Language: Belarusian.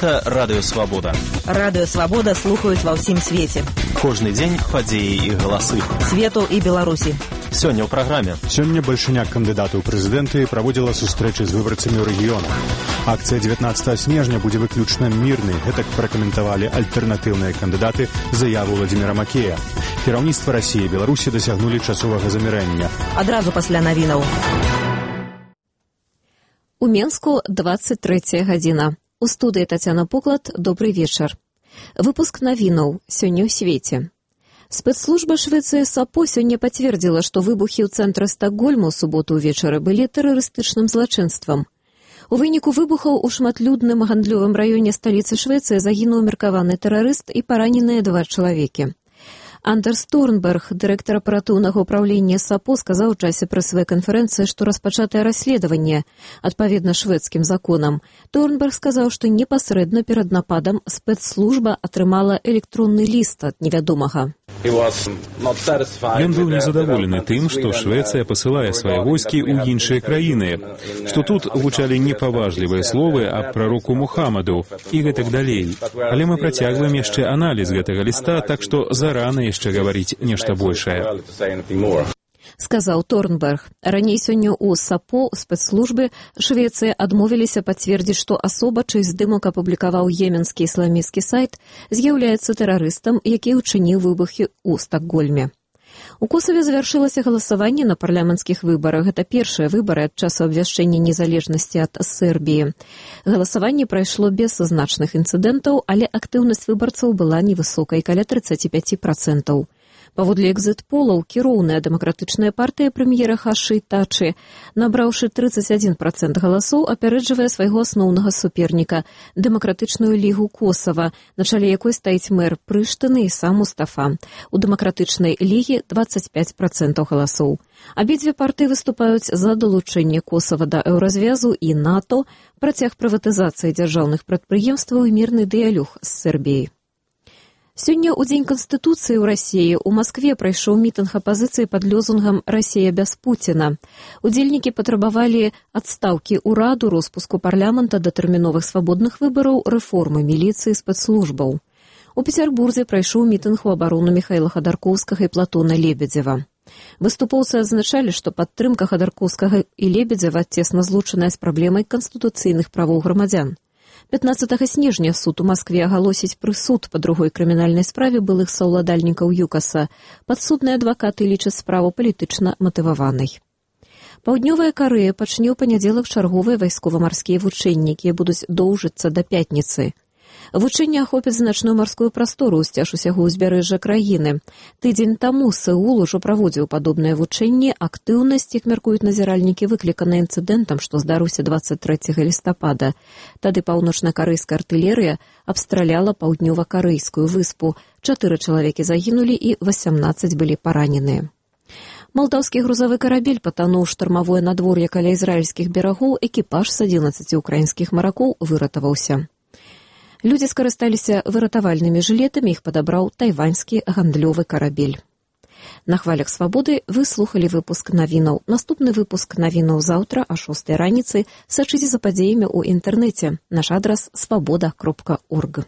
Гэта Радыё Свабода. Радыё Свабода слухаюць ва ўсім свеце. Кожны дзень падзеі і галасы. Свету і Беларусі. Сёння ў праграме. Сёння бальшыняк кандыдатаў у прэзідэнты праводзіла сустрэчы з выбарцамі ў рэгіёнах. Акцыя 19 снежня будзе выключна мірнай. Гэтак пракаментавалі альтэрнатыўныя кандыдаты заяву Владзіміра Макея. Кіраўніцтва Расіі і Беларусі дасягнулі часовага замірэння. Адразу пасля навінаў. У Менску 23 гадзіна. У студыі Тацяна Поклад, добрый вечар. Выпуск навінаў сёння ў свеце. Спецслужба Швецыі САПО сёння пацвердзіла, што выбухі ў цэнтры Стакгольма ў суботу ўвечары былі тэрарыстычным злачынствам. У выніку выбухаў у шматлюдным гандлёвым раёне сталіцы Швецыі загінуў меркаваны тэрарыст і параненыя 2 чалавекі. Андерс Торнберг, дырэктар аператыўнага ўправлення САПО, сказаў у часе прэсавай канферэнцыі, што распачатае расследаванне адпаведна шведскім законам. Торнберг сказаў, што непасрэдна перад нападам спецслужба атрымала электронны ліст ад невядомага. Ён быў незадаволены тым, што Швецыя пасылае свае войскі ў іншыя краіны, што тут гучалі непаважлівыя словы аб прароку Мухаммаду і гэтак далей. Але мы працягваем яшчэ аналіз гэтага ліста, так што зарана яшчэ гаварыць нешта большае. Сказаў Торнберг. Раней сёння ў САПО спецслужбы Швецыі адмовіліся пацвердзіць, што асоба, чый здымак апублікаваў йеменскі ісламісцкі сайт, з'яўляецца тэрарыстам, які ўчыніў выбухі ў Стакгольме. У Косаве завяршылася галасаванне на парламенцкіх выбарах. Гэта першыя выбары ад часу абвяшчэння незалежнасці ад Сербіі. Галасаванне прайшло без значных інцыдэнтаў, але актыўнасць выбарцаў была невысокай, каля 35%. Паводле экзіт-полаў, кіроўная дэмакратычная партыя прэм'ера Хаши Тачы, набраўшы 31% галасоў, апярэджвае свайго асноўнага суперніка – Дэмакратычную лігу Косава, на чале якой стаіць мэр Прыштыны і сам Мустафа. У дэмакратычнай лігі 25% галасоў. Абедзве партыі выступаюць за далучэнне Косава да еўразвязу і НАТО, працяг прыватызацыі дзяржаўных прадпрыемстваў і мірны дыялог з Сербіяй. Сёння ў Дзень Канстытуцыі ў Расіі у Маскве прайшоў мітынг апазіцыі пад лёзунгам «Расія без Пуціна». Удзельнікі патрабавалі адстаўкі ўраду, роспуску парламента, датэрміновых свабодных выбараў, рэформы міліцыі, спецслужбаў. У Пецярбурзе прайшоў мітынг у абарону Міхаіла Хадаркоўскага і Платона Лебедзева. Выступоўцы адзначалі, што падтрымка Хадаркоўскага і Лебедзева цесна злучаная з праблемай канстытуцыйных правоў грамадзян. 15 снежня суд у Маскве агалосіць прысуд па другой крымінальнай справе былых саўладальнікаў ЮКАСа. Падсудныя адвакаты лічаць справу палітычна матываванай. Паўднёвая Карэя пачне ў панядзелак чарговыя вайскова-марскія вучэнні, якія будуць доўжыцца да пятніцы. Вучэнні ахопяць значную марскую прастору ўсцяж усяго ўзбярэжжа краіны. Тыдзень таму Сеул ужо праводзіў падобныя вучэнні, актыўнасць, як мяркуюць назіральнікі, выклікана інцыдэнтам, што здарыўся 23 лістапада. Тады паўночна-карэйская артылерыя абстраляла паўднёва-карэйскую выспу. 4 чалавекі загінулі і 18 былі параненыя. Малдаўскі грузавы карабель патануў штармавое надвор'е каля ізраільскіх берагоў, экіпаж з 11 украінскіх маракоў выратаваўся. Людзі скарысталіся выратавальнымі жылетамі, іх падабраў тайваньскі гандлёвы карабель. На хвалях свабоды вы слухалі выпуск навінаў. Наступны выпуск навінаў заўтра а 6 раніцы. Сачыце за падзеямі ў інтэрнэце. Наш адрас свабода.орг.